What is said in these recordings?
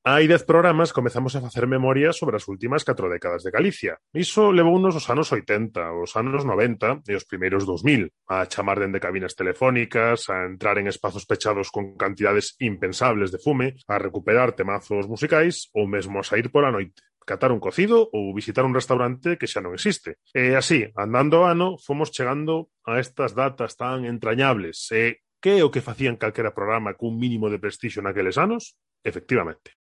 Hai 10 programas comezamos a facer memoria sobre as últimas 4 décadas de Galicia. Iso levounos os anos 80, os anos 90 e os primeiros 2000, a chamar dende cabinas telefónicas, a entrar en espazos pechados con cantidades impensables de fume, a recuperar temazos musicais ou mesmo a sair pola noite, catar un cocido ou visitar un restaurante que xa non existe. E así, andando o ano, fomos chegando a estas datas tan entrañables. E que é o que facían calquera programa cun mínimo de prestixio naqueles anos? Efectivamente.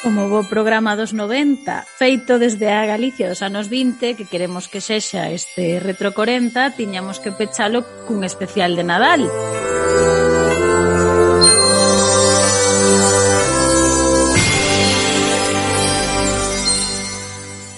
Como bo programa dos 90, feito desde a Galicia dos anos 20, que queremos que sexa este Retro 40, tiñamos que pechalo cun especial de Nadal.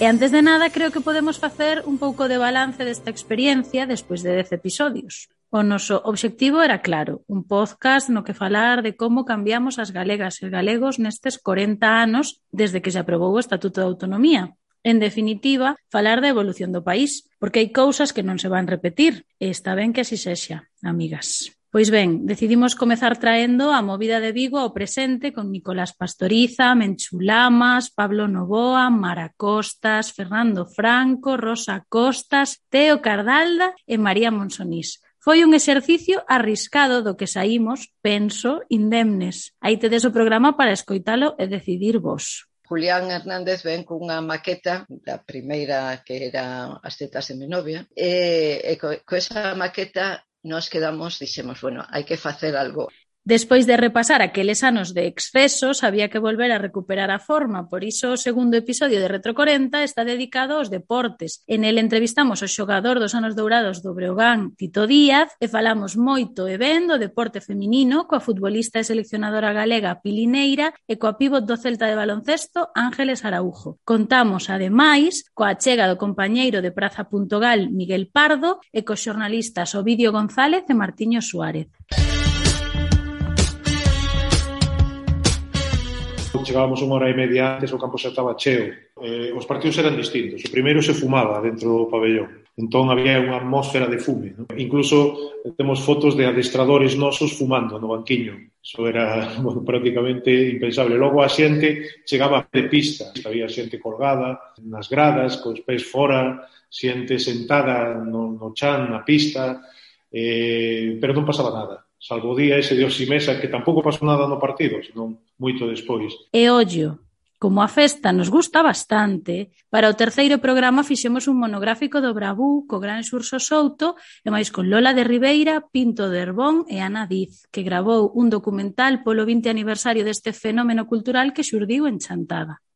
E antes de nada, creo que podemos facer un pouco de balance desta experiencia despois de 10 episodios. O noso obxectivo era claro, un podcast no que falar de como cambiamos as galegas e galegos nestes 40 anos desde que se aprobou o Estatuto de Autonomía. En definitiva, falar da evolución do país, porque hai cousas que non se van repetir, e está ben que así sexa, amigas. Pois ben, decidimos comezar traendo a movida de Vigo ao presente con Nicolás Pastoriza, Menchu Lamas, Pablo Novoa, Mara Costas, Fernando Franco, Rosa Costas, Teo Cardalda e María Monsonís. Foi un exercicio arriscado do que saímos, penso, indemnes. Aí tedes o programa para escoitalo e decidir vos. Julián Hernández ven cunha maqueta da primeira que era As tetas de mi novia e co esa maqueta nos quedamos, dixemos, bueno, hai que facer algo. Despois de repasar aqueles anos de excesos, había que volver a recuperar a forma. Por iso o segundo episodio de Retro 40 está dedicado aos deportes. En el entrevistamos o xogador dos anos dourados do Breogán, Tito Díaz, e falamos moito e ben do deporte feminino coa futbolista e seleccionadora galega Pili Neira e coa pívot do Celta de baloncesto Ángeles Araújo. Contamos, ademais, coa achega do compañeiro de Praza.gal Miguel Pardo e cos xornalistas Ovidio González e Martiño Suárez. Chegábamos unha hora e media antes, o campo xa estaba cheo. Os partidos eran distintos. O primeiro se fumaba dentro do pabellón. Entón había unha atmósfera de fume, ¿no? Incluso temos fotos de adestradores nosos fumando no banquiño. Eso era, bueno, prácticamente impensable. Logo a xente chegaba de pista. Había xente colgada nas gradas, cos pés fora, xente sentada no chan, na pista, pero non pasaba nada. Salvo o día ese de Osimesa, que tampouco pasou nada no partido, senón moito despois. E ollo, como a festa nos gusta bastante, para o terceiro programa fixemos un monográfico do Bravú co gran Xurxo Souto e máis con Lola de Ribeira, Pinto de Herbón e Ana Diz, que gravou un documental polo 20 aniversario deste fenómeno cultural que xurdiu en Chantada.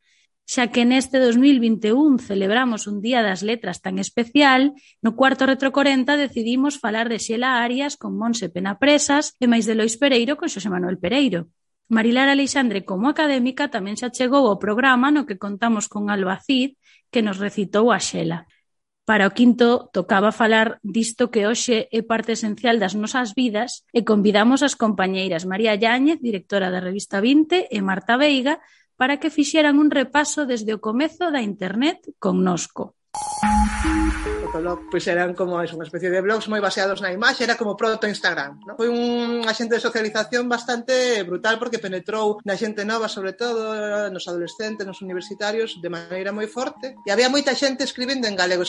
Xa que neste 2021 celebramos un Día das Letras tan especial, no cuarto Retro 40 decidimos falar de Xela Arias con Monse Penapresas e máis de Lois Pereiro con Xosé Manuel Pereiro. Marilar Aleixandre, como académica, tamén xa chegou ao programa no que contamos con Alba Cid, que nos recitou a Xela. Para o quinto, tocaba falar disto que hoxe é parte esencial das nosas vidas e convidamos as compañeiras María Yáñez, directora da revista 20, e Marta Veiga, para que fixeran un repaso desde o comezo da internet connosco. Fotolog, pois eran como unha especie de blogs moi baseados na imaxe, era como proto-Instagram, ¿no? Foi un axente de socialización bastante brutal porque penetrou na xente nova, sobre todo nos adolescentes, nos universitarios, de maneira moi forte, e había moita xente escribindo en galego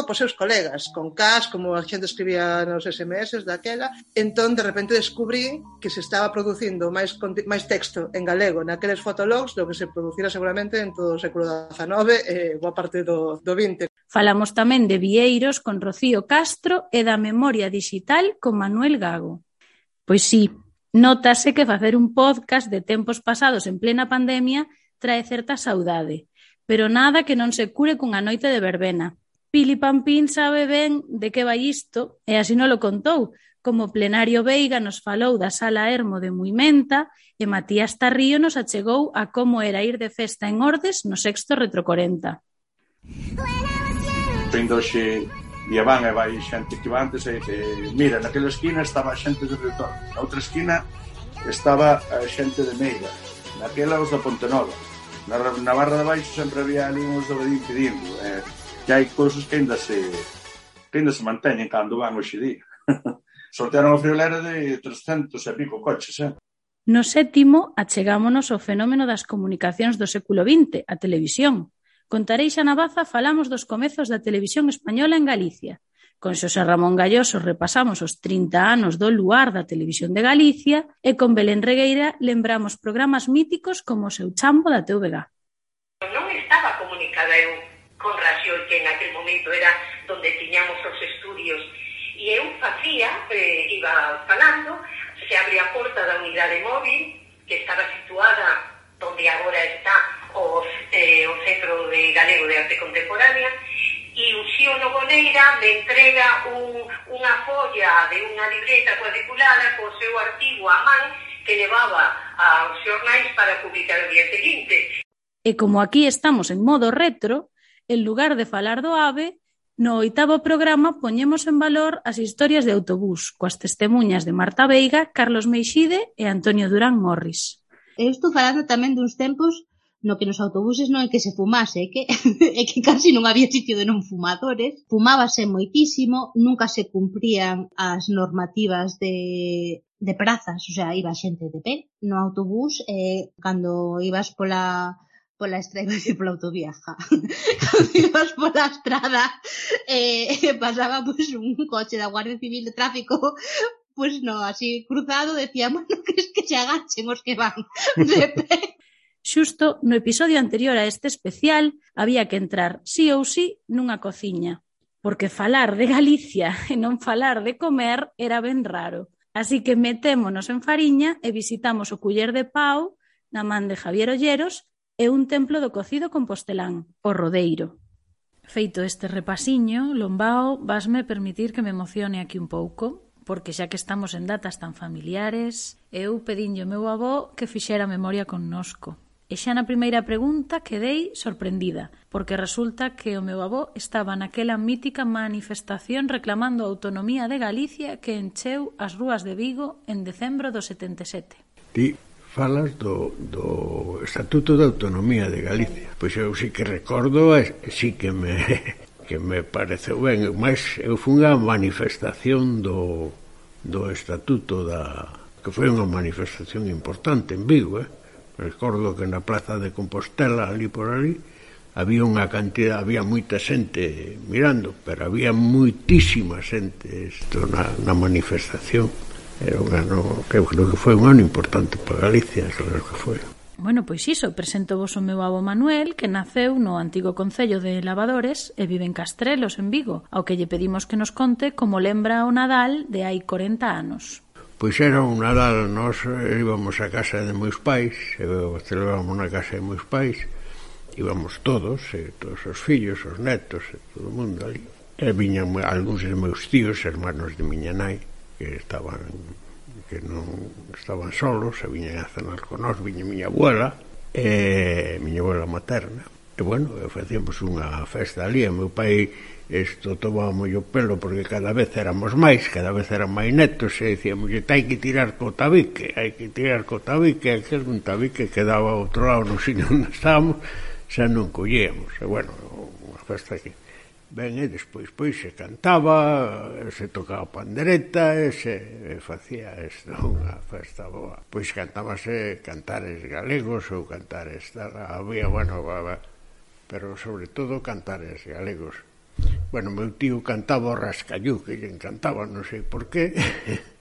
pos seus colegas, con cas, como a xente escribía nos SMS daquela. Entón, de repente, descubrí que se estaba producindo máis texto en galego naqueles fotologs do que se producira seguramente en todo o século XIX e boa parte do XX. Falamos tamén de Vieiros con Rocío Castro e da memoria digital con Manuel Gago. Pois sí, nótase que facer un podcast de tempos pasados en plena pandemia trae certa saudade, pero nada que non se cure cunha noite de verbena. Pili Pampín sabe ben de que vai isto e así non lo contou, como Plenario Veiga nos falou da Sala Hermo de Muimenta e Matías Tarrío nos achegou a como era ir de festa en Ordes no sexto Retro 40. Ainda hoxe e van e vai xente que va antes e mira, naquela esquina estaba a xente de Retorno, na outra esquina estaba a xente de Meira, naquela os da Pontenova, na barra de baixo sempre había ali uns do Bedín pedindo, que hai cousas que ainda se que ainda se manteñen cando van hoxe día. Sortearon a friolera de 300 e pico coches, No sétimo, achegámonos ao fenómeno das comunicacións do século XX, a televisión. Con Tareixa Navaza falamos dos comezos da televisión española en Galicia. Con Xosé Ramón Galloso repasamos os 30 anos do luar da televisión de Galicia e con Belén Regueira lembramos programas míticos como o Seu Chambo da TVG. Non estaba comunicada eu con Raxiol, que en aquel momento era donde tiñamos os estudios, e eu facía, iba falando, se abría a porta da unidade móvil, que estaba situada onde agora está o Centro de Galego de Arte Contemporánea, e o Xío Nogoneira me entrega unha folla de unha libreta cuadriculada co seu artigo a man que levaba aos xornais para publicar o día seguinte. E como aquí estamos en modo retro, en lugar de falar do AVE, no 8º programa poñemos en valor as historias de autobús, coas testemuñas de Marta Veiga, Carlos Meixide e Antonio Durán Morris. Eu estou falando tamén duns tempos no que nos autobuses non é que se fumase, é que casi non había sitio de non fumadores, fumábase moitísimo, nunca se cumprían as normativas de prazas, o sea, iba xente de pé no autobús, cando ibas pola estrada, pola autovieja, cando ibas pola estrada, pasaba pues, un coche da Guardia Civil de Tráfico, pues no, así cruzado, decía, bueno, que es que se agachen os que van de pé. Xusto no episodio anterior a este especial había que entrar sí ou sí nunha cociña, porque falar de Galicia e non falar de comer era ben raro. Así que metémonos en fariña e visitamos o Culler de Pau, na man de Javier Olleros, e un templo do cocido compostelán, o Rodeiro. Feito este repasiño, Lombao, vasme permitir que me emocione aquí un pouco, porque xa que estamos en datas tan familiares, eu pedinlle ao meu avó que fixera memoria connosco. E xa na primeira pregunta quedei sorprendida, porque resulta que o meu avó estaba naquela mítica manifestación reclamando a autonomía de Galicia que encheu as rúas de Vigo en decembro do 77. Ti falas do Estatuto de Autonomía de Galicia. Pois eu sí que recordo, sí que me pareceu ben, mas eu fui unha manifestación do Estatuto que foi unha manifestación importante en Vigo, Recordo que na Plaza de Compostela, ali por ali, había moita xente mirando, pero había moitísima xente na manifestación. Era un ano, que eu creo que foi un ano importante para Galicia, creo que foi. Bueno, pois iso, presento vos o meu avó Manuel, que naceu no antigo concello de Lavadores e vive en Castrelos, en Vigo, ao que lle pedimos que nos conte como lembra o Nadal de hai 40 anos. Pois era un Nadal, nós íbamos a casa de meus pais, celebrábamos na casa de meus pais, íbamos todos os fillos, os netos, todo o mundo ali. E viñan algúns de meus tíos, hermanos de miña nai, que non estaban solos, e viñan a cenar con nós, viña miña abuela materna. E bueno, facíamos unha festa ali, e meu pai tomábamos o pelo porque cada vez éramos máis, cada vez eran máis netos, e dicíamos, hai que tirar co tabique, e aquel un tabique que daba ao outro lado no sitio onde estábamos, xa non collíamos. E bueno, unha festa que ben, e despois se cantaba, se tocaba pandereta, e se facía unha festa boa. Pois cantábase cantares galegos ou cantares había, bueno, pero sobre todo cantares galegos. Bueno, meu tío cantaba o Rascallú, que lle encantaba, non sei por qué,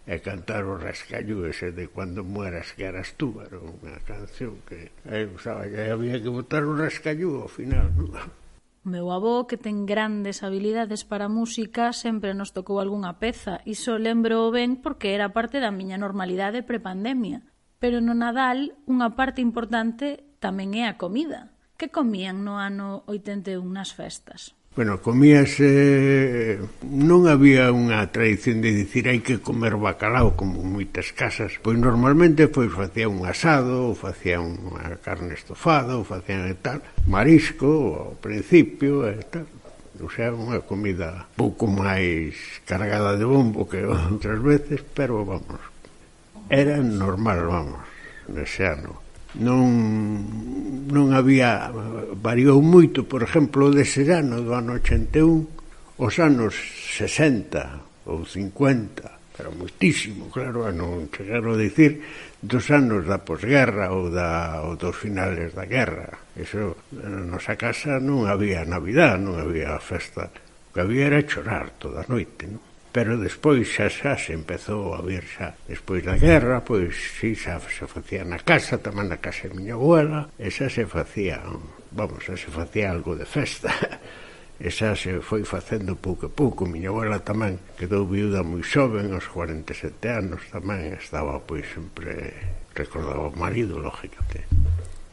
e cantar o Rascallú ese de Cuando mueras que eras tú, era unha canción que había que botar o Rascallú ao final, non? O meu avó, que ten grandes habilidades para a música, sempre nos tocou algunha peza. Iso lembro ben porque era parte da miña normalidade prepandemia. Pero no Nadal, unha parte importante tamén é a comida. Que comían no ano 81 nas festas? Bueno, comíase... Non había unha tradición de dicir hai que comer bacalao como moitas casas. Pois normalmente facían un asado, ou facían unha carne estofada, ou facían tal, marisco ao principio e tal. O sea, unha comida pouco máis cargada de bombo que outras veces, pero vamos, era normal, vamos, nese ano. Non había, variou moito, por exemplo, dese ano do ano 81, os anos 60 ou 50, pero moitísimo, claro, non chegaron a dicir dos anos da posguerra ou dos finales da guerra. Eso, na nosa casa non había Navidad, non había festa. O que había era chorar toda a noite, non? Pero despois xa se empezou a vir xa despois da guerra, pois si xa se facía na casa, tamén na casa de miña abuela, e xa se facía, xa se facía algo de festa. E xa se foi facendo pouco a pouco. Miña abuela tamén quedou viuda moi xoven, aos 47 anos, tamén estaba, pois, sempre recordaba o marido, lógicamente.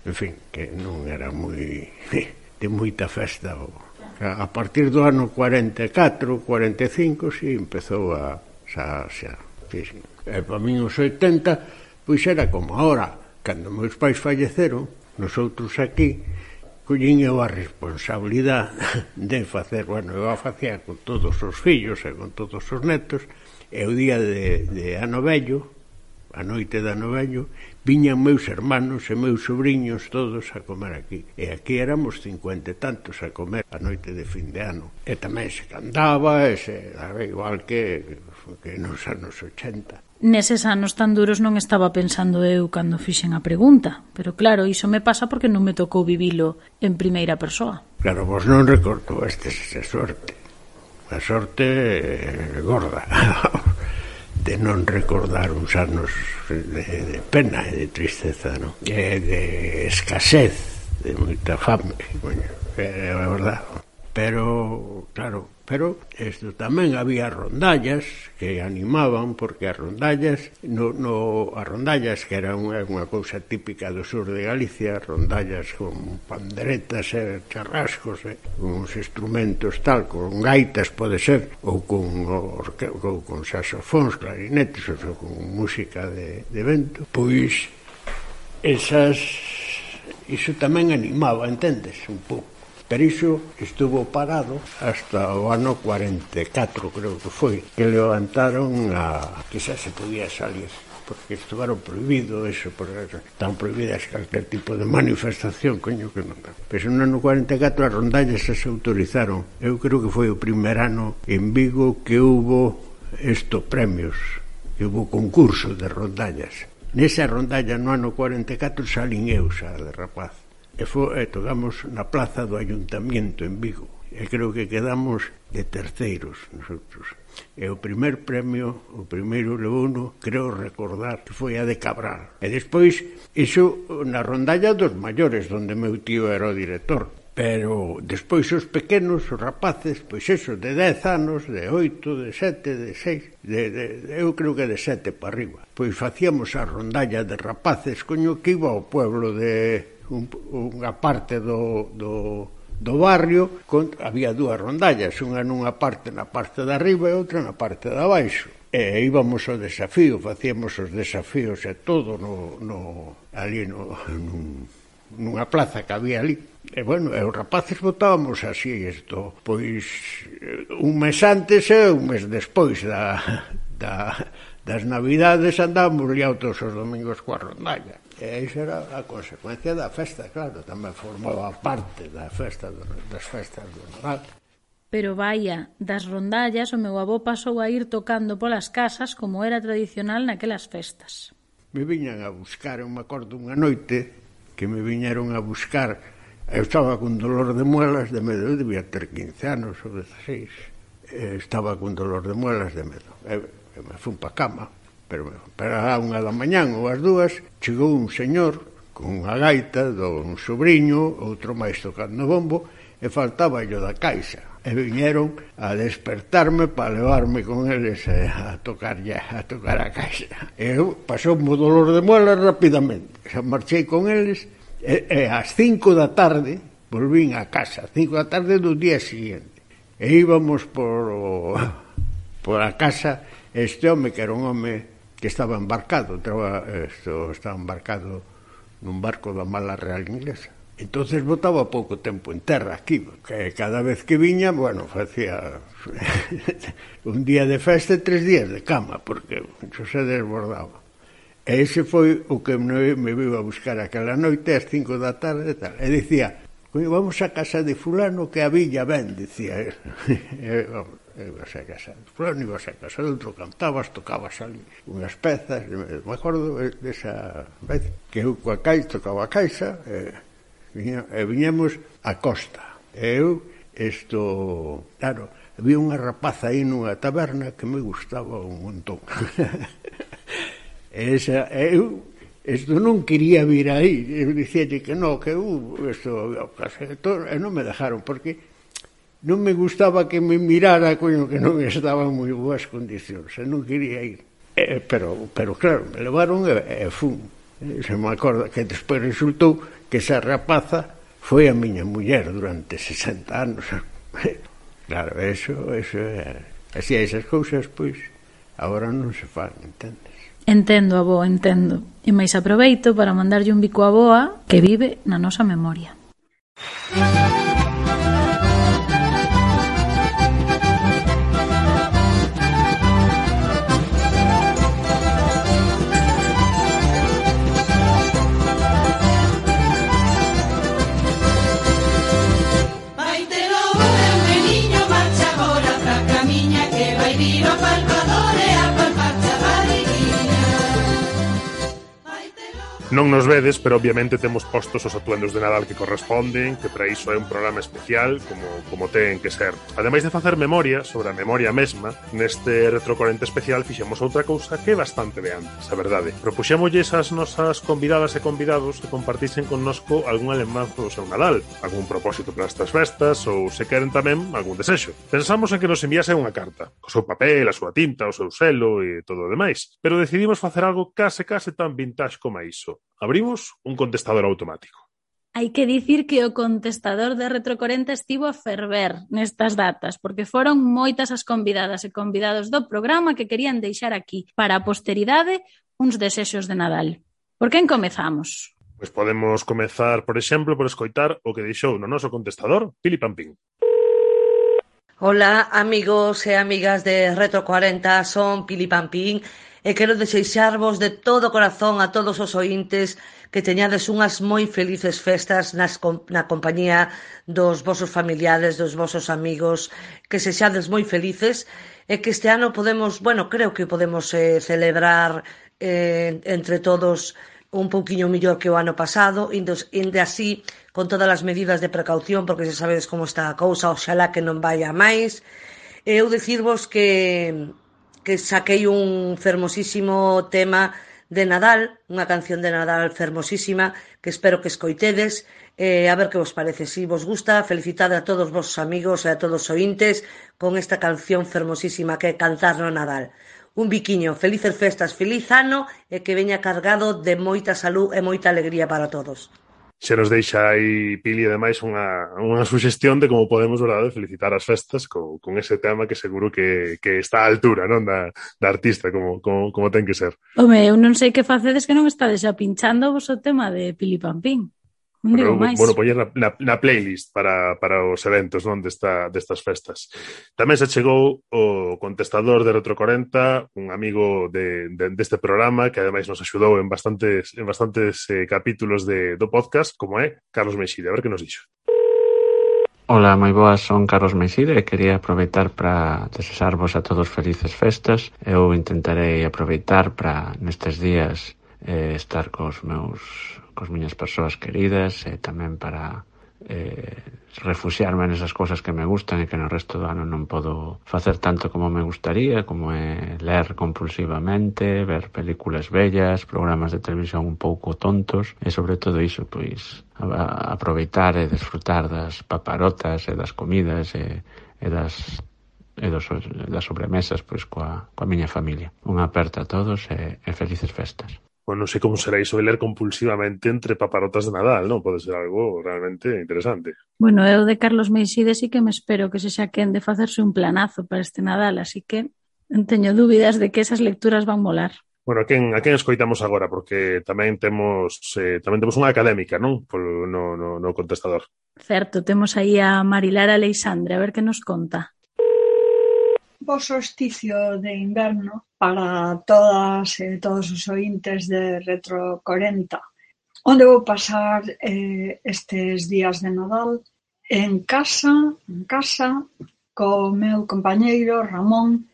En fin, que non era moi de moita festa. A partir do ano 44, 45, si empezou a xa. E para min os 80, pois era como agora, cando meus pais falleceron, nosotros aquí collín eu a responsabilidade de facer, eu a facía con todos os fillos e con todos os netos, e o día de ano vello, a noite de ano vello, viñan meus hermanos e meus sobrinhos todos a comer aquí. E aquí éramos 50 e tantos a comer a noite de fin de ano. E tamén se cantaba, igual que nos anos 80. Neses anos tan duros non estaba pensando eu cando fixen a pregunta, pero claro, iso me pasa porque non me tocou vivilo en primeira persoa. Claro, vos non recordo esa sorte. A sorte gorda de non recordar uns anos de pena e de tristeza, non? E de escasez, de moita fame, é a verdade. Pero, claro, isto tamén había rondallas que animaban, porque as rondallas, as rondallas que era unha cousa típica do sur de Galicia, rondallas con panderetas e charrascos, uns instrumentos tal, con gaitas pode ser, ou con saxofóns, clarinetes, ou con música de vento, pois iso tamén animaba, entendes, un pouco. Pero iso estuvo parado hasta o ano 44, creo que foi, que levantaron que xa se podía salir, porque estuvaron prohibido eso, porque están prohibidas calquer tipo de manifestación, coño que non. Pero no ano 44 as rondallas se autorizaron. Eu creo que foi o primer ano en Vigo que hubo premios, que hubo concurso de rondallas. Nesa rondalla no ano 44 salín eu xa de rapaz. E tocamos na plaza do Ayuntamiento en Vigo. E creo que quedamos de terceiros nosotros. E o primer premio, o primeiro levouno, creo recordar que foi a de Cabral. E despois, iso na rondalla dos maiores, onde meu tío era o director. Pero despois os pequenos, os rapaces, pois eso, de 10 anos, de 8, de 7, de 6, eu creo que de 7 para arriba. Pois facíamos a rondalla de rapaces, coño, que iba ao pueblo de unha parte do barrio, había dúas rondallas, unha nunha parte na parte de arriba e outra na parte de abaixo. E íbamos ao desafío, facíamos os desafíos e todo ali nunha plaza que había ali. E bueno, os rapaces votábamos así isto, pois un mes antes e un mes despois das Navidades andábamos liados todos os domingos coa rondalla. E iso era a consecuencia da festa, claro, tamén formaba parte das festas do Nadal. Pero vaia, das rondallas o meu avó pasou a ir tocando polas casas como era tradicional naquelas festas. Me viñan a buscar, eu me acordo unha noite que me viñeron a buscar, eu estaba con dolor de muelas de medo, eu debía ter 15 anos ou 16, estaba con dolor de muelas de medo, eu me fui pa cama, pero a unha da mañán ou as dúas chegou un señor con unha gaita dun sobrinho, outro máis tocando bombo, e faltaba yo da caixa. E viñeron a despertarme para levarme con eles a tocar a caixa. E eu pasou o dolor de muelas rapidamente. Xa marchei con eles e ás 5 da tarde volvín a casa, 5 da tarde do día siguiente. E íbamos por a casa este home que era un home que estaba embarcado, estaba embarcado nun barco da mala real inglesa. Entonces botaba pouco tempo en terra aquí, que cada vez que viña, bueno, facía un día de festa e 3 días de cama, porque xo se desbordaba. E ese foi o que me viu a buscar aquela noite ás 5 da tarde e tal. E dicía, vamos a casa de fulano que a villa ben, dicía él. Ibas a casa de fulano, ibas a casa de outro, cantabas, tocabas ali unhas pezas. Me acordo desa vez que eu coa caixa, tocaba a caixa, e viñemos a costa. Eu, claro, había unha rapaza aí nunha taberna que me gustaba un montón. Isto non quería vir aí, eu dicíalle que non, que e non me dejaron, porque non me gustaba que me mirara, coño, que non estaba en moi boas condicións, e non quería ir. Pero claro, me levaron e fun. Se me acorda que despois resultou que esa rapaza foi a miña muller durante 60 anos. Claro, eso así esas cousas, pois, agora non se fan, entendes? Entendo, avó, entendo. E máis aproveito para mandarlle un bico á boa que vive na nosa memoria. Non nos vedes, pero obviamente temos postos os atuendos de Nadal que corresponden, que para iso é un programa especial, como ten que ser. Ademais de facer memoria sobre a memoria mesma, neste Retro 40 especial fixemos outra cousa que é bastante de antes, a verdade. Propuxémoslle as nosas convidadas e convidados que compartisen connosco algún lembranza do seu Nadal, algún propósito para estas festas ou, se queren tamén, algún desexo. Pensamos en que nos enviase unha carta, co seu papel, a súa tinta, o seu selo e todo o demais, pero decidimos facer algo case tan vintage como iso. Abrimos un contestador automático. Hai que dicir que o contestador de Retro 40 estivo a ferver nestas datas, porque foron moitas as convidadas e convidados do programa que querían deixar aquí, para a posteridade, uns desexos de Nadal. Por quen comezamos? Pois podemos comezar, por exemplo, por escoitar o que deixou no noso contestador Pili Pampín. Hola, amigos e amigas de Retro 40, son Pili Pampín e quero desexarvos de todo corazón a todos os ointes que teñades unhas moi felices festas na compañía dos vosos familiares, dos vosos amigos, que sexades moi felices e que este ano podemos, creo que podemos celebrar entre todos un pouquiño mellor que o ano pasado, inde así con todas as medidas de precaución, porque xa sabedes como está a cousa, oxalá que non vaya máis. Eu dicirvos que saquei un fermosísimo tema de Nadal, unha canción de Nadal fermosísima, que espero que escoitedes, a ver que vos parece. Si vos gusta, felicitade a todos vos amigos e a todos os ointes con esta canción fermosísima que é Cantar no Nadal. Un biquiño, felices festas, feliz ano e que veña cargado de moita salud e moita alegría para todos. Se nos deixa aí, Pili, ademais, unha suxestión de como podemos, verdade, felicitar as festas con ese tema que seguro que está á altura, non, da artista, como ten que ser. Home, eu non sei que facedes que non estades xa pinchando vos o tema de Pili Pampín. Non digo máis. Poñer na playlist para os eventos, non, destas festas. Tamén se chegou o contestador de Retro 40, un amigo deste programa que ademais nos axudou en bastantes capítulos do podcast, como é Carlos Meixide. A ver que nos dixo. Ola, moi boas, son Carlos Meixide e quería aproveitar para desexarvos a todos felices festas. Eu intentarei aproveitar para nestes días estar cos miñas persoas queridas e tamén para refuxiarme nesas cousas que me gustan e que no resto do ano non podo facer tanto como me gustaría, como é ler compulsivamente, ver películas bellas, programas de televisión un pouco tontos e sobre todo iso, pois aproveitar e desfrutar das paparotas e das comidas e das sobremesas pois coa miña familia. Unha aperta a todos e felices festas. Non sei como será iso de ler compulsivamente entre paparotas de Nadal, non? Pode ser algo realmente interesante. Bueno, eu de Carlos Meixide sí que me espero que se xa quen de facerse un planazo para este Nadal, así que non teño dúbidas de que esas lecturas van molar. Bueno, a quen escoitamos agora? Porque tamén temos unha académica, non? No contestador. Certo, temos aí a Marilar Aleixandre, a ver que nos conta. Bo solsticio de inverno para todas e todos os ointes de Retro 40. onde vou pasar estes días de Nadal en casa, co meu compañeiro Ramón,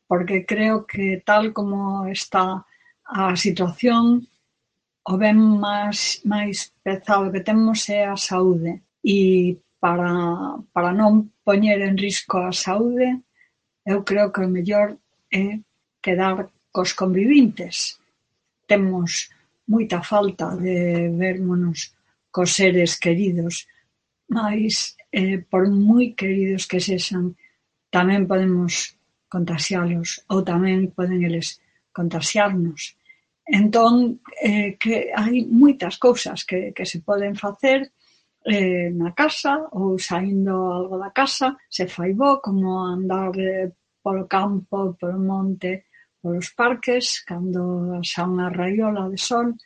porque creo que tal como está a situación, o ben máis pesado que temos é a saúde. E para non poñer en risco a saúde, eu creo que o mellor é quedar cos convivintes. Temos moita falta de vermonos cos seres queridos, mas por moi queridos que sexan, tamén podemos contaxialos ou tamén poden eles contaxiarnos. Entón, que hai moitas cousas que se poden facer na casa ou saindo algo da casa, se fai bo, como andar polo campo, polo monte, polos parques, cando xa unha raiola de sol,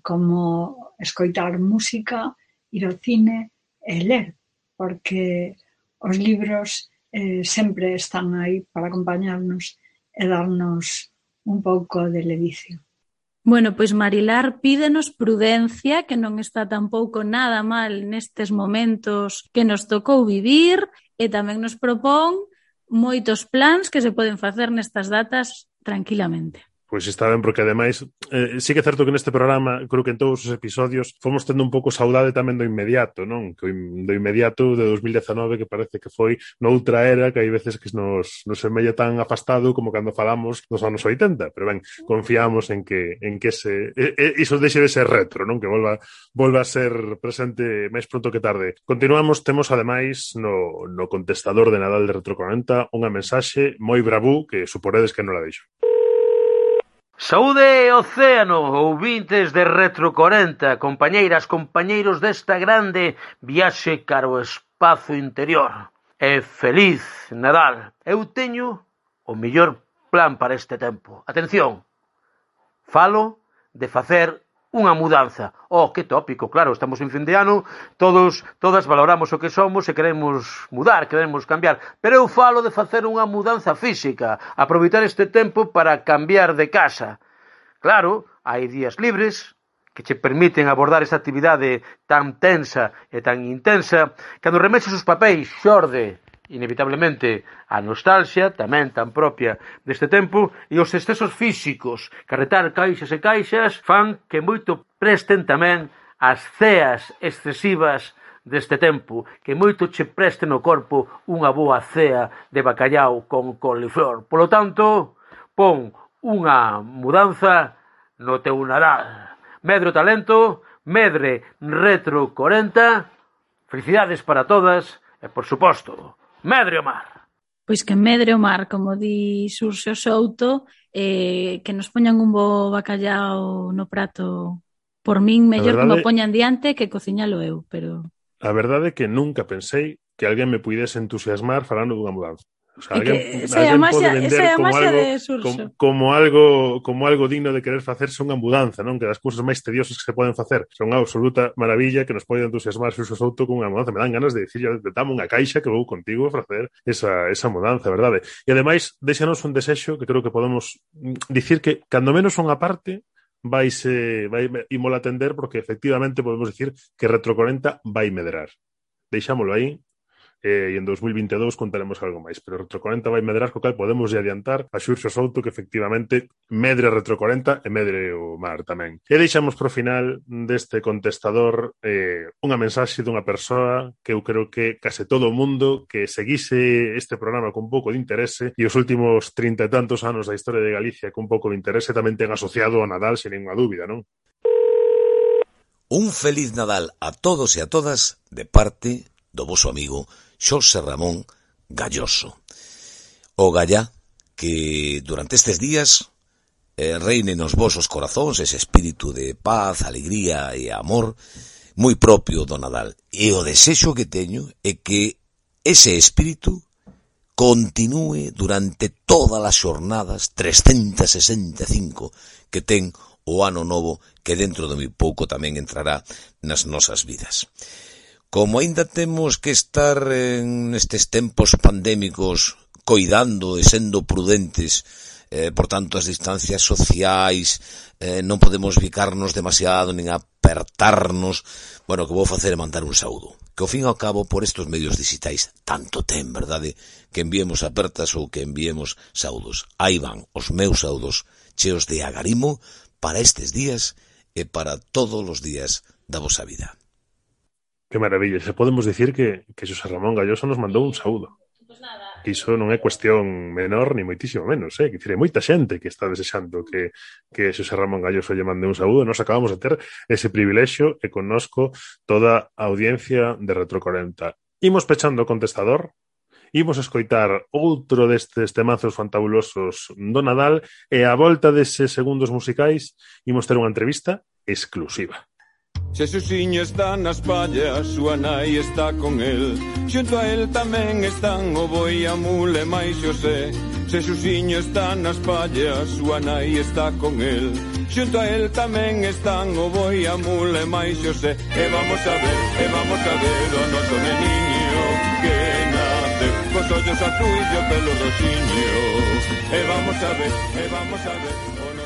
como escoitar música, ir ao cine e ler, porque os libros sempre están aí para acompañarnos e darnos un pouco de ledicio. Bueno, pois Marilar pídenos prudencia, que non está tampouco nada mal nestes momentos que nos tocou vivir, e tamén nos propón moitos plans que se poden facer nestas datas tranquilamente. Pois está ben, porque ademais sí que é certo que neste programa, creo que en todos os episodios fomos tendo un pouco saudade tamén do inmediato, non? Do inmediato de 2019, que parece que foi noutra era, que hai veces que nos semella tan afastado como cando falamos dos anos 80, pero ben, confiamos en que iso deixe de ser retro, non? Que volva a ser presente máis pronto que tarde. Continuamos, temos ademais no contestador de Nadal de Retro 40 unha mensaxe moi bravú que suporedes que non la deixo. Saúde océano, ouvintes de Retro 40, compañeiras, compañeiros desta grande viaxe cara ao espazo interior. E feliz Nadal. Eu teño o mellor plan para este tempo. Atención, falo de facer unha mudanza. Oh, que tópico, claro, estamos en fin de ano, todas valoramos o que somos e queremos mudar, queremos cambiar, pero eu falo de facer unha mudanza física, aproveitar este tempo para cambiar de casa. Claro, hai días libres que che permiten abordar esta actividade tan tensa e tan intensa, cando remexes os papéis xorde inevitablemente a nostalgia, tamén tan propia deste tempo, e os excesos físicos, carretar caixas e caixas, fan que moito presten tamén as ceas excesivas deste tempo, que moito che preste no corpo unha boa cea de bacallau con coliflor. Polo tanto, pon unha mudanza no teu Nadal. Medre o talento, medre Retro 40, felicidades para todas e, por suposto, medre o mar. Pois que medre o mar, como di Xurxo Souto, que nos poñan un bo bacallau no prato. Por min, mellor que me poñan diante que cociñalo eu, pero... A verdade é que nunca pensei que alguén me puidese entusiasmar falando dunha mudanza. O sea, alguén pode vender como algo digno de querer facerse unha mudanza, non? Que das cousas máis tediosas que se poden facer son unha absoluta maravilla que nos pode entusiasmar Xurxo Souto con unha mudanza. Me dan ganas de dicir, dame unha caixa que vou contigo a facer esa mudanza, verdade? E ademais, deixanos un desexo que creo que podemos dicir que, cando menos unha parte, ímola atender, porque efectivamente podemos dicir que Retro 40 vai medrar. Deixámoslo aí. E en 2022 contaremos algo máis, pero Retro 40 vai medrar, co cal podemos adiantar a Xurxo Souto que efectivamente medre Retro 40 e medre o mar tamén. E deixamos pro final deste contestador unha mensaxe dunha persoa que eu creo que case todo o mundo que seguise este programa con pouco de interese e os últimos 30 e tantos anos da historia de Galicia con pouco de interese tamén ten asociado a Nadal sen ninguna dúbida, non? Un feliz Nadal a todos e a todas de parte do voso amigo Xosé Ramón Galloso. O Gallá, que durante estes días reine nos vosos corazóns ese espírito de paz, alegría e amor moi propio do Nadal. E o desexo que teño é que ese espírito continúe durante todas as xornadas 365 que ten o ano novo, que dentro de moi pouco tamén entrará nas nosas vidas. Como aínda temos que estar nestes tempos pandémicos coidando e sendo prudentes por tanto as distancias sociais, non podemos bicarnos demasiado, nin apertarnos. Bueno, o que vou facer é mandar un saúdo, que ao fin e ao cabo por estes medios digitais tanto ten, verdade, que enviemos apertas ou que enviemos saúdos. Aí van os meus saúdos cheos de agarimo para estes días e para todos os días da vosa vida. Que maravilla, se podemos dicir que Xosé Ramón Galloso nos mandou un saúdo. Que iso non é cuestión menor ni moitísimo menos, que dicir, hai moita xente que está desexando que Xosé Ramón Galloso lle mande un saúdo. Nos acabamos de ter ese privilexio e connosco toda a audiencia de Retro 40. Imos pechando o contestador, imos escoitar outro destes temazos fantabulosos do Nadal e a volta deses segundos musicais imos ter unha entrevista exclusiva. Xesusiño está nas pallas, súa nai está con el. Xunto a el tamén están o boi, a mula e máis Xosé. Xesusiño está nas pallas, súa nai está con el. Xunto a el tamén están o boi, a mula e máis Xosé. E vamos a ver o noso neniño que nace cos ollos azuis e o pelo roxiño. E vamos a ver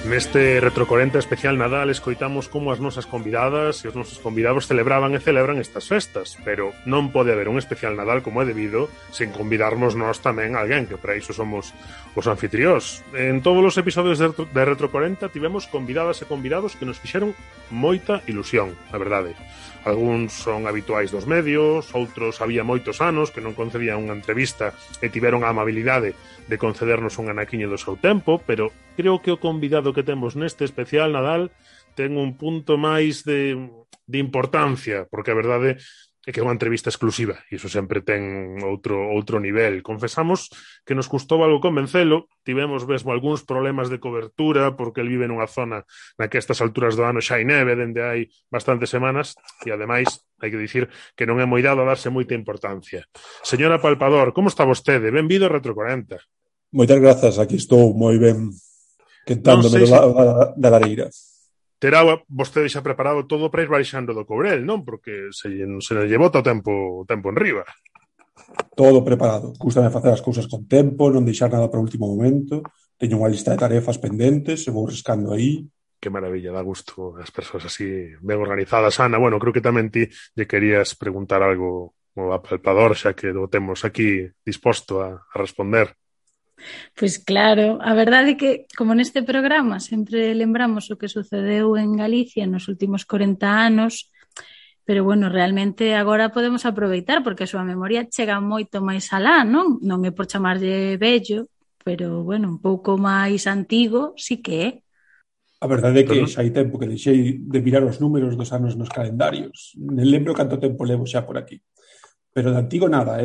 Neste Retro 40 especial Nadal escoitamos como as nosas convidadas e os nosos convidados celebraban e celebran estas festas, pero non pode haber un especial Nadal como é debido sen convidarnos nós tamén a alguén, que para iso somos os anfitriós. En todos os episodios de Retro 40 tivemos convidadas e convidados que nos fixeron moita ilusión, a verdade. Algúns son habituais dos medios, outros había moitos anos que non concedían unha entrevista e tiveron a amabilidade de concedernos un anaquiño do seu tempo, pero creo que o convidado que temos neste especial Nadal ten un punto máis de importancia, porque a verdade é que é unha entrevista exclusiva e iso sempre ten outro nivel. Confesamos que nos custou algo convencelo, tivemos mesmo algúns problemas de cobertura porque el vive nunha zona na que a estas alturas do ano xa hai neve dende hai bastantes semanas e ademais hai que dicir que non é moi dado a darse moita importancia. Señora Palpador, como está vostede? Benvido a Retro 40. Moitas grazas, aquí estou moi ben quentándome da lareira. Terá vostede xa preparado todo para ir baixando do Courel, non? Porque se lle bota o tempo enriba. Todo preparado. Gústame facer as cousas con tempo, non deixar nada para o último momento. Teño unha lista de tarefas pendentes, e vou riscando aí. Que maravilla, dá gusto as persoas así ben organizadas. Ana, bueno, creo que tamén ti lle querías preguntar algo ao Palpador, xa que o temos aquí disposto a responder. Pois claro, a verdade é que, como neste programa sempre lembramos o que sucedeu en Galicia nos últimos 40 anos, pero bueno, realmente agora podemos aproveitar porque a súa memoria chega moito máis alá, non? Non é por chamarlle vello, pero bueno, un pouco máis antigo sí que é. A verdade é que xa hai tempo que deixei de mirar os números dos anos nos calendarios. Nem lembro canto tempo levo xa por aquí. Pero de antigo nada,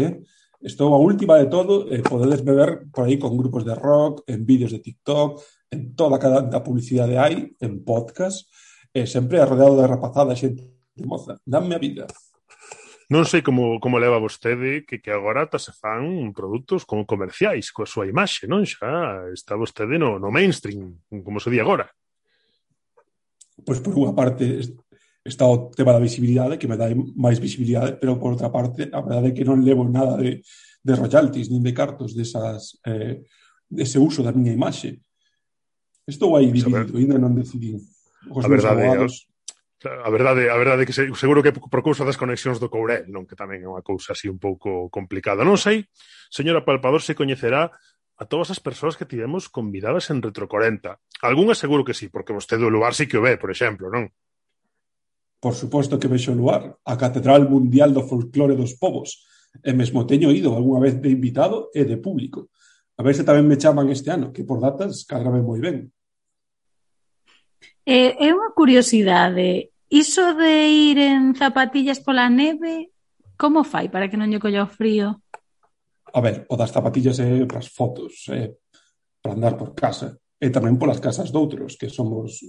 Estou a última de todo, podedes me ver por aí con grupos de rock, en vídeos de TikTok, en toda a publicidade hai, en podcast, sempre rodeado de rapazada, xente de moza. Danme a vida. Non sei como leva vostede que agora se fan produtos como comerciais coa súa imaxe, non? Xa está vostede no mainstream, como se di agora. Pois por unha parte está o tema da visibilidade, que me dá máis visibilidade, pero por outra parte, a verdade é que non levo nada de royalties, nin de cartos dese uso da miña imaxe. Estou aí dividido, ainda non decidí. A verdade é que seguro que por cousa das conexións do Courel, non, que tamén é unha cousa así un pouco complicada. Non sei, señora Palpador, se coñecerá a todas as persoas que tivemos convidadas en Retro 40. Algúnha seguro que sí, porque vostede o lugar sí que o ve, por exemplo, non? Por suposto que vexo o lugar, a Catedral Mundial do Folclore dos Povos, e mesmo teño ido algunha vez de invitado e de público. A ver se tamén me chaman este ano, que por datas cadrame moi ben. É unha curiosidade, iso de ir en zapatillas pola neve, como fai para que non lle colla o frío? A ver, o das zapatillas é para as fotos, para andar por casa, e tamén polas casas doutros, que somos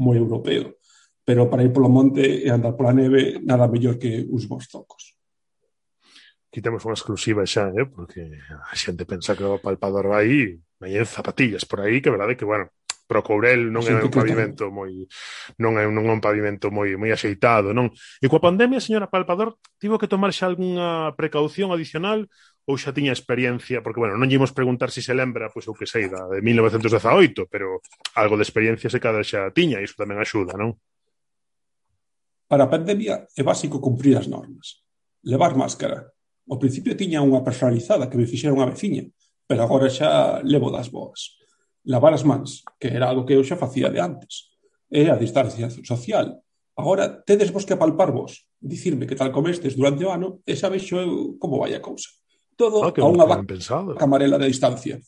moi europeo. Pero para ir polo monte e andar pola neve, nada mellor que uns bons zocos. Aquí temos unha exclusiva xa, porque a xente pensa que o Palpador vai en zapatillas por aí, que é verdade que, bueno, pero o Courel non é un pavimento non é un pavimento moi axeitado, non? E coa pandemia, señora Palpador, tivo que tomar xa algunha precaución adicional ou xa tiña experiencia, porque, bueno, non lle imos preguntar se lembra, pois eu que sei, da de 1918, pero algo de experiencia se cada xa tiña, e iso tamén axuda, non? Para a pandemia é básico cumprir as normas. Levar máscara. Ao principio tiña unha personalizada que me fixera unha veciña, pero agora xa levo das boas. Lavar as mans, que era algo que eu xa facía de antes. E a distancia social. Agora tedes vos que apalpar vos, dicirme que tal comestes durante o ano e xa vexo eu como vai a cousa. Todo a unha camarela de distancia.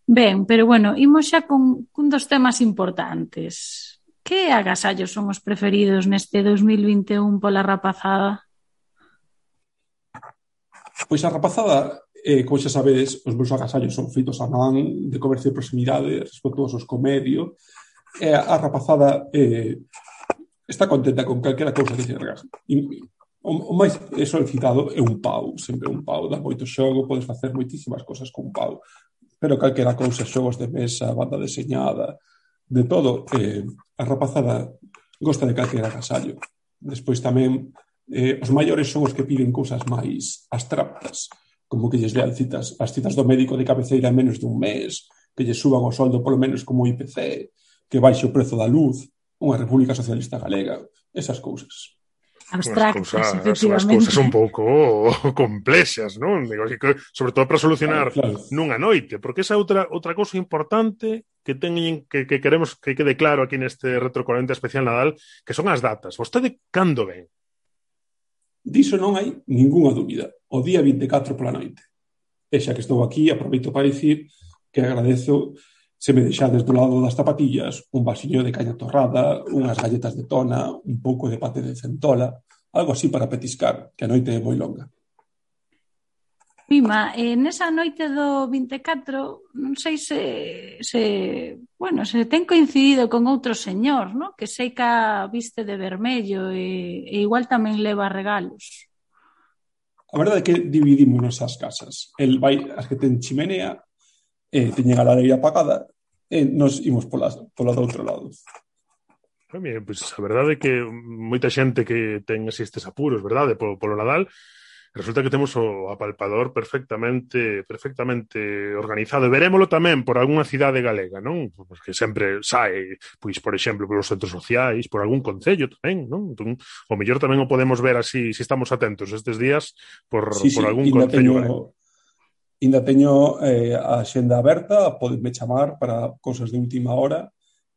Ben, pero bueno, imos xa con dos temas importantes. Que agasallos son os preferidos neste 2021 pola rapazada? Pois a rapazada, como xa sabedes, os meus agasallos son feitos a man, de comercio de proximidade, respetuosos co medio, e a rapazada está contenta con calquera cousa que se regase. O máis solicitado é un pau, sempre un pau, dá moito xogo, podes facer moitísimas cousas con un pau, pero calquera cousa, xogos de mesa, banda deseñada, de todo, a rapazada gosta de calquera agasallo. Despois tamén, os maiores son os que piden cousas máis abstractas, como que lles lean as citas do médico de cabeceira en menos dun mes, que lles suban o soldo polo menos como IPC, que baixe o prezo da luz, unha República Socialista Galega, esas cousas. Abstractas, efectivamente. As cousas un pouco complexas, non? Digo, sobre todo para solucionar nunha noite, porque esa outra cousa importante que teñen que queremos que quede claro aquí neste Retro 40 especial Nadal, que son as datas. Vostede cando ven? Diso non hai ningunha dúbida. O día 24 pola noite. E xa que estou aquí, aproveito para dicir que agradezo se me deixades do lado das zapatillas un vasiño de caña torrada, unhas galletas de tona, un pouco de pate de centola, algo así para petiscar, que a noite é moi longa. Mima, nesa noite do 24, non sei se ten coincidido con outro señor, ¿no? Que sei que viste de vermello e igual tamén leva regalos. A verdade é que dividímonos as casas. El vai as que ten chimenea, teñen a lareira apagada, e nos imos pola do outro lado. Pues a verdade é que moita xente que ten estes apuros, verdade, polo Nadal, resulta que temos o apalpador perfectamente organizado. E verémolo tamén por algunha cidade galega, non? Porque sempre sae, pois, por exemplo, polos centros sociais, por algún concello tamén, non? Entón, o mellor tamén o podemos ver así, se estamos atentos estes días, por algún concello. Ainda teño a xenda aberta, podeme chamar para cousas de última hora,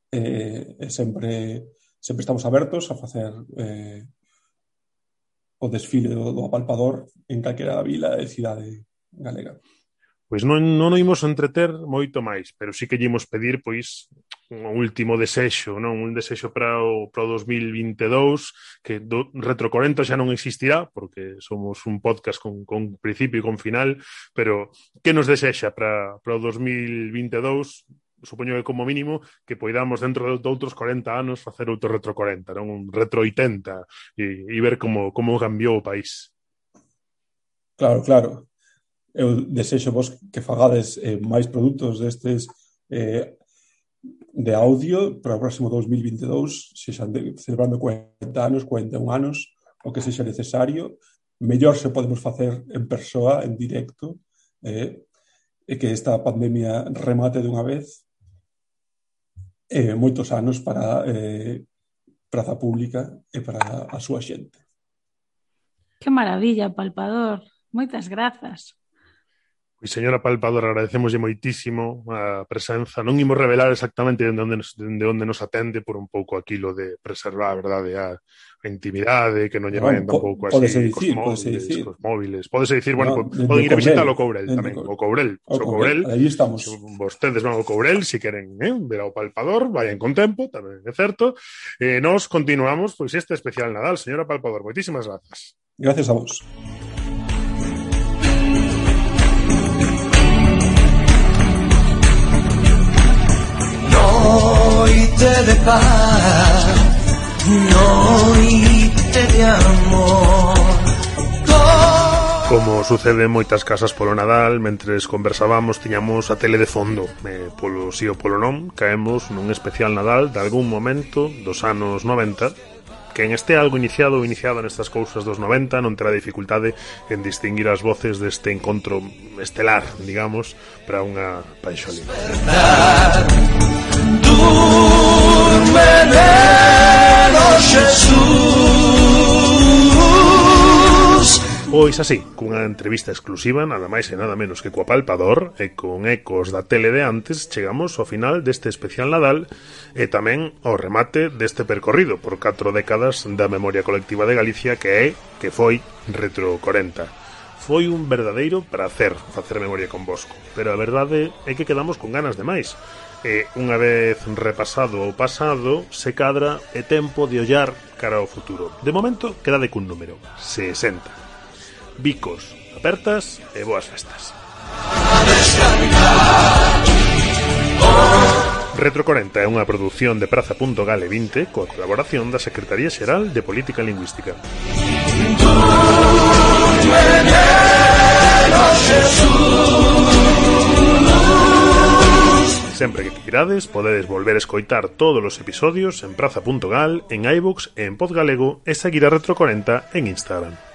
e sempre estamos abertos a facer o desfile do apalpador en calquera vila e cidade galega. Pois non imos entreter moito máis, pero sí que lle imos pedir, pois, un último desexo, non? Un desexo para o 2022, que do Retro 40 xa non existirá, porque somos un podcast con principio e con final, pero que nos desexa para o 2022? Supoño que como mínimo que poidamos dentro de outros 40 anos facer outro Retro 40, non? Un Retro 80 e ver como cambiou o país. Claro. Eu desexo vos que fagades máis produtos destes de audio para o próximo 2022, se xa celebrando 40 anos, 41 anos, o que sexa necesario. Mellor se podemos facer en persoa, en directo, e que esta pandemia remate dunha vez. Moitos anos para praza pública e para a súa xente. Que maravilla, Palpador. Moitas grazas. Pois, señora Palpador, agradecemoslle moitísimo a presenza. Non imos revelar exactamente de onde nos atende por un pouco aquilo de preservar, verdade, a intimidade, que non lle vayan tampouco así cos móviles. Pódese dicir, bueno, poden ir a visitar o Courel tamén. O Courel. Aí estamos. Vostedes van ao Courel, se queren ver ao Palpador, vayan con tempo, tamén é certo. Nos continuamos, pois, este especial Nadal. Señora Palpador, moitísimas grazas. Gracias a vos. Noite de paz, noite de amor. Como sucede en moitas casas polo Nadal, mentres conversábamos tiñamos a tele de fondo. Polo sí ou polo non, caemos nun especial Nadal de algún momento dos anos 90 Quen este algo iniciado ou iniciada nestas cousas dos 90 non terá dificultade en distinguir as voces deste encontro estelar, digamos, para unha panxolina. Durme neno Xesús. Pois así, cunha entrevista exclusiva, nada máis e nada menos que coa Palpador, e con ecos da tele de antes, chegamos ao final deste especial Nadal e tamén ao remate deste percorrido por 4 décadas da memoria colectiva de Galicia que foi Retro 40. Foi un verdadeiro prazer facer memoria con Bosco, pero a verdade é que quedamos con ganas de máis. E unha vez repasado o pasado, se cadra é tempo de ollar cara ao futuro. De momento, quedade cun número, 60. Bicos, apertas e boas festas. Retro 40 é unha produción de Praza.gale 20 coa colaboración da Secretaría Xeral de Política Lingüística. Sempre que queirades, podedes volver a escoitar todos os episodios en Praza.gal, en iVoox e en Podgalego e seguir a Retro 40 en Instagram.